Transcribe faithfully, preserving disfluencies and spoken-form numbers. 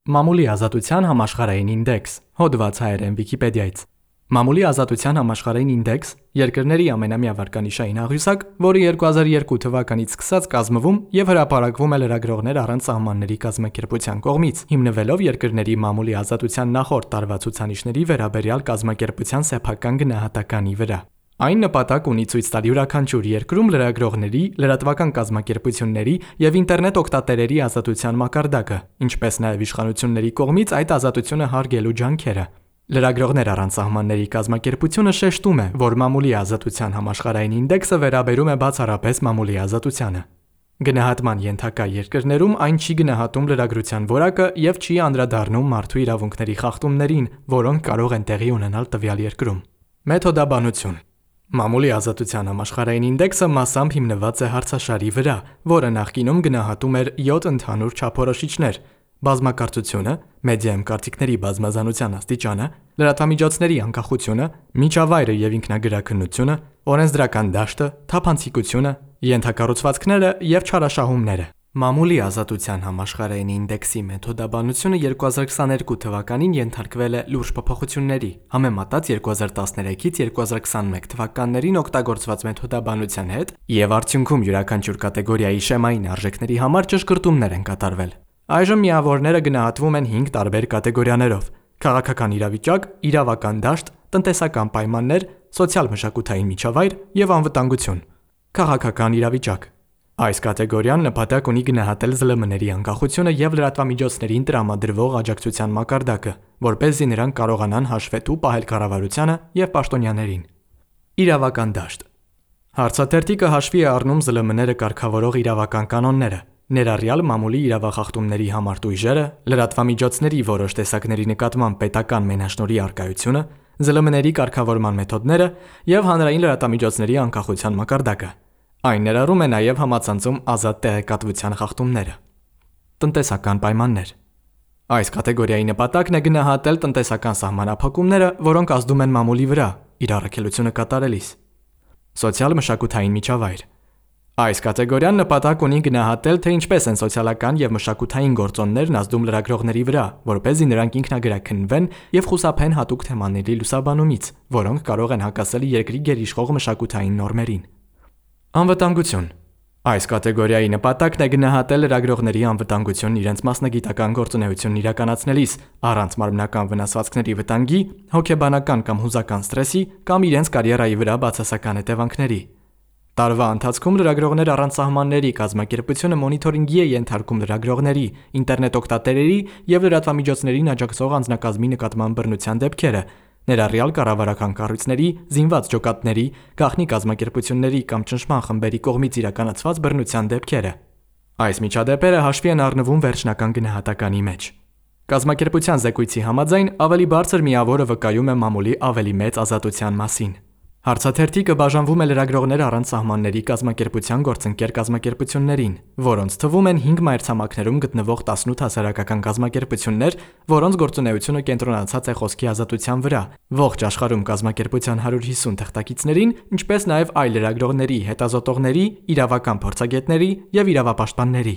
Մամուլի ազատության համաշխարհային ինդեքս, հոդված հայերեն Վիկիպեդիայից։ Մամուլի ազատության համաշխարհային ինդեքս երկրների ամենամյա վարկանիշային աղյուսակ, որը երկու հազար երկու թվականից սկսած կազմվում եւ հրապարակվում է լրագրողներ առանց սահմանների կազմակերպության կողմից, հիմնվելով երկրների մամուլի ազատության նախորդ տարվա ցուցանիշների վերաբերյալ կազմակերպության սեփական գնահատականի վրա։ Այն նպատակ ունի ցույց տալ յուրաքանչյուր երկրում լրագրողների, լրատվական կազմակերպությունների եւ ինտերնետ օգտատերերի ազատության մակարդակը, ինչպես նաեւ իշխանությունների կողմից այդ ազատությունը հարգելու ջանքերը։ Լրագրողներ առանց սահմանների կազմակերպությունը շեշտում է, որ մամուլի ազատության համաշխարհային ինդեքսը վերաբերում է բացառապես մամուլի ազատությանը։ Գնահատման ենթակա երկրներում այն չի գնահատում լրագրության որակը եւ չի անդրադառնում մարդու իրավունքների խախտումներին, որոնք կարող են տեղի ունենալ տվյալ երկրում։ Մեթոդաբանություն։ Մամուլի ազատության համաշխարհային ինդեքսը մասամբ հիմնված է հարցաշարի վրա, որը նախկինում գնահատում էր յոթ ընդհանուր չափորոշիչներ՝ բազմակարծությունը, մեդիայում կարծիքների բազմազանության աստիճանը, լրատվամիջոցների անկախությունը, միջավայրը եւ ինքնագրաքննությունը, օրենսդրական դաշտը, թափանցիկությունը, ենթակառուցվածքները եւ չարաշահումները։ Մամուլի ազատության համաշխարհային ինդեքսի մեթոդաբանությունը երկու հազար քսաներկու թվականին ենթարկվել է լուրջ փոփոխությունների, համեմատած երկու հազար տասներեքից երկու հազար քսանմեկ թվականներին օգտագործված մեթոդաբանության հետ, եւ արդյունքում յուրաքանչյուր կատեգորիայի շեմային արժեքների համար ճշգրտումներ են կատարվել։ Այժմ միավորները գնահատվում են հինգ տարբեր կատեգորիաներով՝ քաղաքական իրավիճակ, իրավական դաշտ, տնտեսական պայմաններ, սոցիալ-մշակութային միջավայր եւ անվտանգություն։ Քաղաքական իրավիճակ։ Այս կատեգորիան նպատակ ունի գնահատել զլմ ների անկախությունը եւ լրատվամիջոցներին տրամադրվող աջակցության մակարդակը, որպեսզի նրանք կարողանան հաշվետու պահել կառավարությանը եւ պաշտոնյաներին։ Իրավական դաշտ։ Հարցաթերթիկը հաշվի է առնում զլմ ները կարգավորող իրավական կանոնները, ներառյալ մամուլի իրավախախտումների համարտ ուժերը, լրատվամիջոցների որոշ տեսակների նկատմամբ պետական մենաշնորհի առկայությունը, զլմ ների կարգավորման մեթոդները եւ հանրային լրատվամիջոցների անկախության մակարդակը։ Այն ներառում է նաև համացանցում ազատ տեղեկատվության խախտումները։ Տնտեսական պայմաններ։ Այս կատեգորիայի նպատակն է գնահատել տնտեսական սահմանափակումները, որոնք ազդում են մամուլի վրա իր առաքելությունը կատարելիս։ Սոցիալ-մշակութային միջավայր։ Այս կատեգորիան նպատակ ունի գնահատել, թե ինչպես են սոցիալական եւ մշակութային գործոններն ազդում լրագրողների վրա, որպեսզի նրանք ինքնագրաքննվեն եւ խուսափեն հատուկ թեմաների լուսաբանումից, որոնք կարող են հակասել երկրի գերիշխող մշակութային նորմերին։ Անվտանգություն։ Այս կատեգորիայի նպատակն է գնահատել լրագրողների անվտանգությունն իրենց մասնագիտական գործունեությունն իրականացնելիս, առանց մարմնական վնասվածքների վտանգի, հոգեբանական կամ հուզական սթրեսի կամ իրենց կարիերայի վրա բացասական հետևանքների։ Տարվա ընթացքում լրագրողներ առանց սահմանների կազմակերպությունը մոնիթորինգի է ենթարկում լրագրողների, ինտերնետ օգտատերերի եւ լրատվամիջոցներին աջակցող անձնակազմի նկատմամբ բռնության դեպքերը, ներառյալ կառավարական կառույցների, զինված ջոկատների, գաղտնի կազմակերպությունների կամ ճնշման խմբերի կողմից իրականացված բռնության դեպքերը։ Այս միջադեպերը հաշվի են առնվում վերջնական գնահատականի մեջ։ Կազմակերպության զեկույցի համաձայն ավելի բարձր միավորը վկայում է մամուլի ավելի մեծ ազատության մասին։ Հարցաթերթիկը բաժանվում է լրագրողներ առանց սահմանների կազմակերպության գործընկեր կազմակերպություններին, որոնց թվում են հինգ մայրցամաքներում գտնվող տասնութ հասարակական կազմակերպություններ, որոնց գործունեությունը կենտրոնացած է խոսքի ազատության վրա, ողջ աշխարհում կազմակերպության հարյուր հիսուն թղթակիցներին, ինչպես նաև այլ լրագրողների, հետազոտողների, իրավական փորձագետների եւ իրավապաշտպանների։